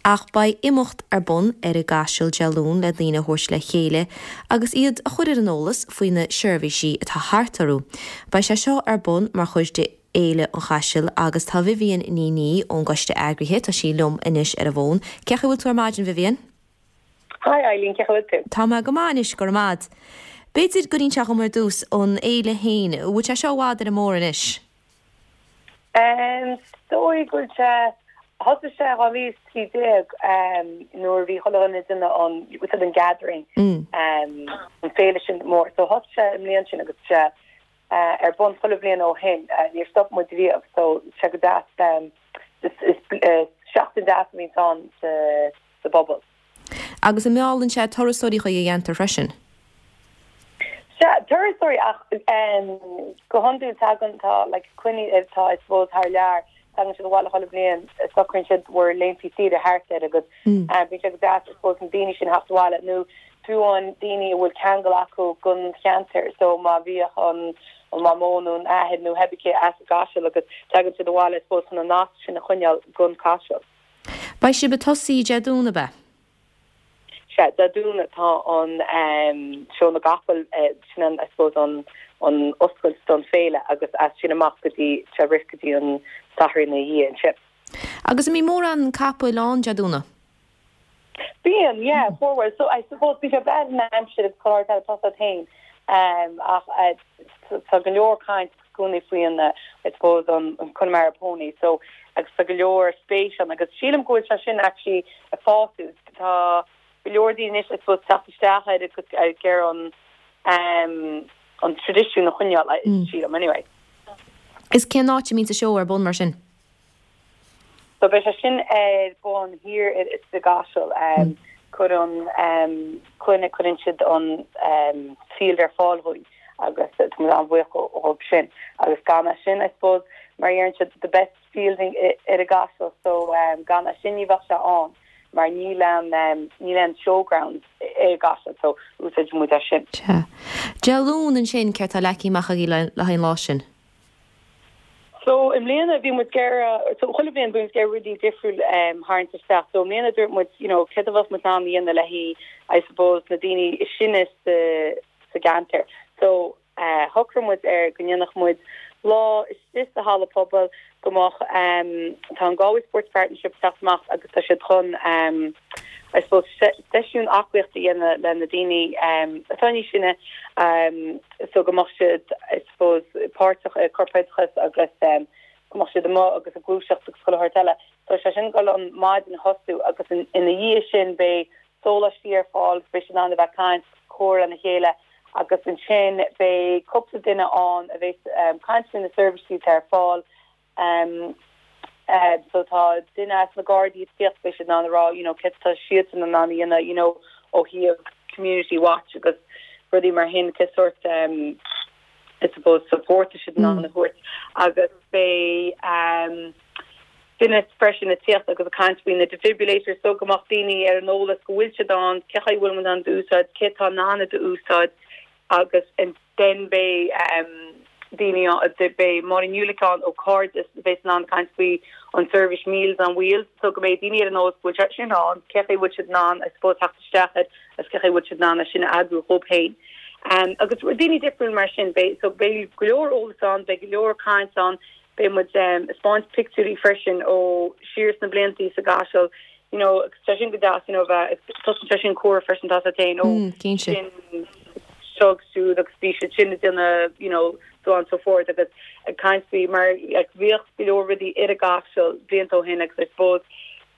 Ach beidh imeacht ar bun ar an gCaiseal Dé Luain le daoine a thabhairt le chéile agus iad a chur ar an eolas faoi na seirbhísí atá thart orthu. Beidh sé seo ar bun mar chuid de Fhéile an Chaisil agus tá Vivian Ní Niadh ón gcoiste eagraithe, tá sí liom anois ar an bhfón. Cén chaoi a bhfuil tú ar maidin, Vivian? Hi Eileen, cén chaoi a bhfuil tú? Tá mé go maith anois, go raibh maith a'd. B'fhéidir go n-inseofá dhom ar dtús an fhéile féin, an bhfuil sé seo i bhfad ar an mbóthar anois? Is dóigh go bhfuil sé, thosaigh sé in 2013 nuair a bhí chuile dhuine ag déanamh an, bhfuil an gathering, an féile sin mór. So thosaigh sé an mbliain sin agus sé ar bun chuile bhliain ó shin, níor stop muid riamh so sé go deas, is seachtain deas a bhíonns ann sa bpobal. Agus an meallann sé turasóirí chuig an gceantar freisin? Sea, turasóirí ach go hiondúil tagann, tá like coinní atá I suppose thar lear, tagann siad abhaile chuile bhliain, socraíonn siad bhur laethanta saoire thart air agus bíonn sé go deas I suppose na daoine sin theacht abhaile nó fiú amháin daoine a bhfuil ceangal acu gon cheantar so má bhíodh an an mamó nó an athair nó pé ar bith as an gCaiseal agus tagann siad abhaile I suppose chun an nasc sin a choinneáil gon Caiseal. Beidh sibh ag tosaí Dé Domhnaigh, ab ea? Sea, Dé Domhnaigh tá an Seó na gCapall, sin an, I suppose, an an oscailt don féile agus as sin amach go dtí, tá sé ag rith go dtí an Satharn ina dhiaidh ansin. Agus an mbíonn mórán capaill ann Dé Domhnaigh? Bíonn, yeah, formhór. So, I suppose, bíonn sé ag brath ar an aimsir agus chuile shórt eile, tá a fhios agat féin. Ach tá go leor caint i gcónaí faoi an, I suppose, an Connemara Pony, so, agus tá go leor spéis ann agus sílim go bhfuil sé sin actually ag fás. Tá go leor daoine anois, I suppose, teacht isteach air agus ag iarraidh an, an traidisiún a choinneáil, sílim, anyway. Is cén áit a mbíonn an seó ar bun mar sin? So beidh sé sin ar bun thiar i gCaiseal. Cuireann Cloinne, cuireann siad an field ar fáil dhúinn agus tá muid an-bhuíoch dhóibh sin. Agus gan é sin, I suppose, mar a deireann siad, the best field ar an gCaiseal, so gan é sin ní bheadh sé ann mar níl aon, níl aon showground i gCaiseal, so úsáideann muid é sin. Sea. Dé Luain ansin, céard tá leagtha amach agaibh le haghaidh an lá sin? So i mbliana bhí muid ag iarraidh, so chuile bhliain bíonn muid ag iarraidh rudaí difriúil a tharraingt isteach. So i mbliana dúirt muid, you know, céard a bheadh muid in ann a dhéanamh le haghaidh, I suppose, na daoine is sine sa, sa gceantar. So shocraigh muid ar go ndéanfadh muid lá istigh sa halla pobail go mbeadh, tá an Galway Sports Partnership ag teacht amach agus tá siad chun, I suppose, seisiún aclaíochta a dhéanamh le na daoine atá níos sine so go mbeadh siad, I suppose, páirteach i corpoideachas agus go mbeadh siad amuigh agus ag gluaiseacht agus chuile shórt eile. So sé sin ag dul an maidin a thosú agus ina dhiaidh sin beidh sóláistí ar fáil agus beidh siad in ann a bheith ag caint, comhrá lena chéile agus ansin beidh cúpla duine ann a bheas ag caint faoi na seirbhísí atá ar fáil So tá duine as na Gardaí ag tíocht, beidh siad in ann a rá you know céard atá siadsan in ann a dhéanamh you know ó thaobh community watch agus rudaí mar sin, cé sórt I suppose support tá siad in ann a thabhairt agus beidh duine freisin ag tíocht agus ag caint faoi na defibrillators so go mbeadh daoine ar an eolas go bhfuil siad ann, cé chaoi bhfuil muid in ann d'úsáid, cé atá in ann iad a úsáid agus then beidh daoine ann, beidh Máirín Ulick ann ó Cairdeas a bheas in ann caint faoi an seirbhís Meals on Wheels so go mbeidh daoine ar an eolas go bhfuil sé sin ann, cé chaoi bhfuil siad in ann I suppose theacht isteach air agus cé chaoi bhfuil siad in ann é sin a eagrú dhóibh féin. Agus daoine difriúil mar sin, beidh, so beidh go leor eolas ann, beidh go leor caint ann, Beidh muid ag 'spáint pictiúirí freisin ó siar sna bliantaí sa gCaiseal, you know, agus tá sin go deas, you know, bheith, tosaíonn sé sin comhrá freisin tá a fhios agat féin, ó, sin seo agus siúd agus bhí siad sin ag déanamh, you know, so on so forth agus ag caint faoi mar like bhíodh go leor rudaí ar an gCaiseal blianta ó shin agus I suppose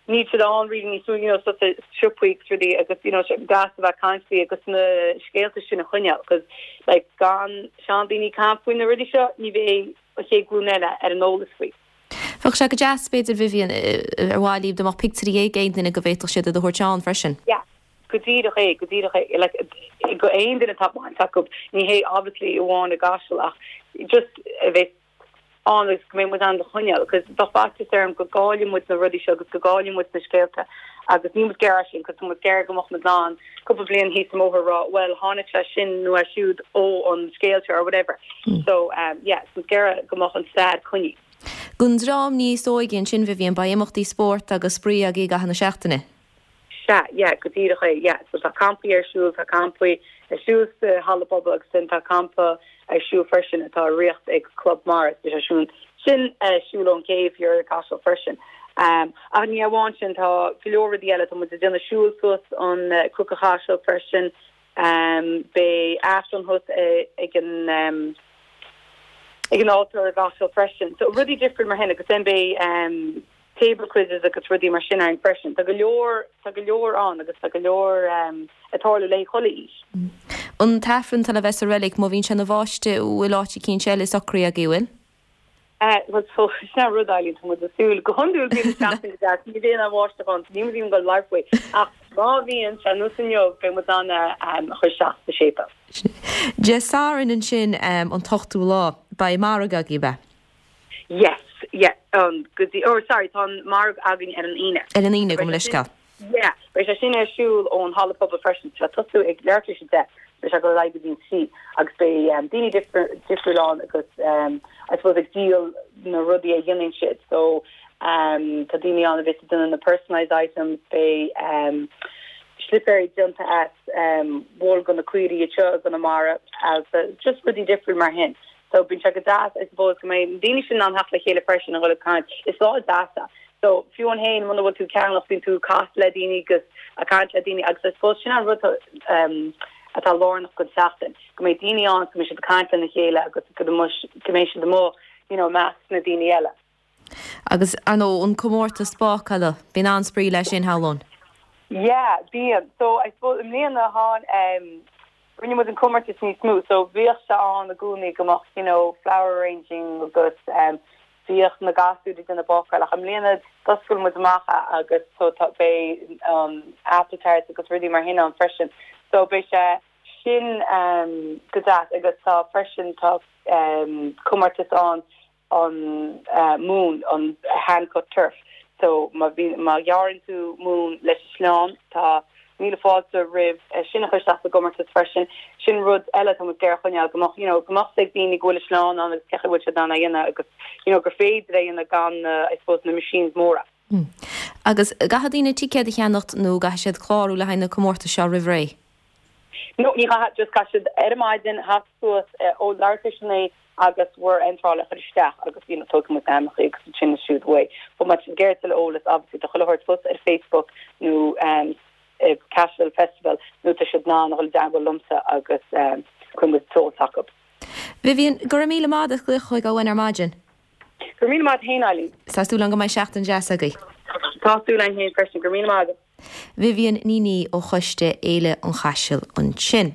níl siad ann really níos mó, you know, so siopaí agus rudaí agus, you know, sé deas a bheith ag caint faoi agus na scéalta sin a choinneáil cos like gan seandaoine ag caint faoi na rudaí seo ní bheidh an chéad ghlúin eile ar an eolas faoi. Bheadh sé go deas, b'fhéidir, Vivian, ar mhaith libh dá mbeadh pictiúirí ag aon duine go bhféadfadh siad iad a thabhairt ann freisin. Yeah, go díreach é, go díreach é. Like, go aon duine atá baint acu, ní hé obviously amháin i gCaiseal ach just a bheith ann agus go mbeidh muid in ann a choinneáil because bheadh faitíos orm go gcaillfidh muid na rudaí seo agus go gcaillfidh muid na scéalta agus níl muid ag iarraidh sin because tá muid ag iarraidh go mbeadh muid in ann cúpla bliain thíos an bóthar a rá well tháinig sé sin nó é siúd ó an scéal seo or whatever. So um yeah, tá muid ag iarraidh go mbeadh an stair coinnithe. Don dream níos óige ansin, Vivian, beidh imeachtaí spóirt agus spraoi agaibh i gcaitheamh na seachtaine. Sea, yeah, go díreach é, yeah. So tá campaí ar siúl, tá campaí ar siúl sa halla pobail agus then tá campa ar siúl freisin atá á reachtáil ag Club Mara, so beidh sé sin ar siúl ón gcéibh thiar i gCaiseal freisin. Ach ní amháin sin, tá go leor rudaí eile, tá muid ag déanamh siúl suas an Cnoc an Chaisil freisin, beidh Aifreann thuas ag an ag an altóir i gCaiseal freisin. So rudaí difriúil mar sin agus then beidh table quizzes agus rudaí mar sin ann freisin. Tá go leor, tá go leor ann agus tá go leor ag tarlú le haghaidh chuile aois. An tAifreann atá le bheith sa reilig, má bhíonn sé ina bháisteach, bhfuil áit eicínt eile socraithe agaibh, bhfuil? Bhuel, so, sin an rud, Eileen, tá muid ag súil, go hiondúil bíonn an seachtain go deas, ní bhíonn an bháisteach ann, so níl muid even ag dul labhairt faoi, ach má bhíonn sé nós inniu, beidh muid in ann a chur isteach sa séipéal. Dé Sathairn ansin, an t-ochtú lá, beidh margadh agaibh, ab ea? Yes, yeah, um, go dtí, oh sorry, tá an margadh againn ar an Aoine. Ar an Aoine, gabh mo leithscéal. Yeah, beidh sé sin ar siúl ón halla pobail freisin, tá sé ag tosú ag leathuair tar éis a 10, beidh sé ag dul ar aghaidh go dtí an 3 agus beidh um, daoine difriúil ann agus um, I suppose ag díol na rudaí a dhéanann siad. So um, tá daoine ann a bheas ag déanamh na personalised items, beidh um, slipéirí déanta as um, wool go na caoirigh anseo i gConamara, agus just rudaí difriúil mar sin. So bíonn sé go deas I suppose go mbeidh na daoine sin in ann theacht le chéile freisin a dhul ag caint. Is lá deas é. So fiú amháin féin muna bhfuil tú ag ceannach bíonn tú ag casadh le daoine agus ag caint le daoine agus I suppose sin an rud um, atá lárnach don tseachtain, go mbeidh daoine ann go mbeidh siad ag caint lena chéile agus go mbeidh siad amuigh you know, i measc na daoine eile. Agus ar ndóigh an comórtas bácála, bíonn an-spraoi leis sin, shamhlóinn. Yeah, bíonn. So I suppose i mbliana tháin um, Rinne muid an comórtas níos mó so bhíodh sé ann i gcónaí go mbeadh you know flower arranging agus um bhíodh na gasúir ag déanamh bácáil ach i mbliana d'oscail muid amach é agus so tá beidh um apple tarts agus rudaí mar sin ann freisin so beidh sé sin um go deas agus tá freisin tá um comórtas ann an mún, an hand cut turf. So má bhíonn, má ghearrann tú mún leis an sleán, tá míle fáilte roimh sin a chur isteach sa gcomórtas freisin. Sin rud eile atá muid ag iarraidh a choinneáil, go mbeadh, you know, go mbeadh 's ag daoine go bhfuil an sleán ann agus cén chaoi a bhfuil siad in ann é a dhéanamh agus, you know, gur féidir é a dhéanamh gan na, I suppose, na machines móra. Agus caithfidh daoine ticéad a cheannacht nó caithfidh siad clárú le haghaidh na comórtais seo roimh ré? No, ní chaithfidh, just caithfidh siad ar an maidin theacht suas ó leathuair tar éis a 9 agus bhur iontráil a chur isteach agus you know tógfaidh muid na hainmneacha agus ansin is siúd uaidh. But má tá siad ag iarraidh tuilleadh eolas obviously tá chuile shórt thuas ar Facebook nó um Cashel Festival nó tá siad in ann a dhul i dteagmháil liomsa agus um cuirfidh muid an t-eolas acu. Vivian, go raibh míle maith agat as glaoch chugainn ar maidin. Go raibh míle maith agat féin, Eileen. Tá súil agam go mbeidh seachtain deas agaibh. Tá súil agam féin freisin. Go raibh míle maith agat. Vivian Ní Niadh ó Choiste Fhéile an Chaisil ansin.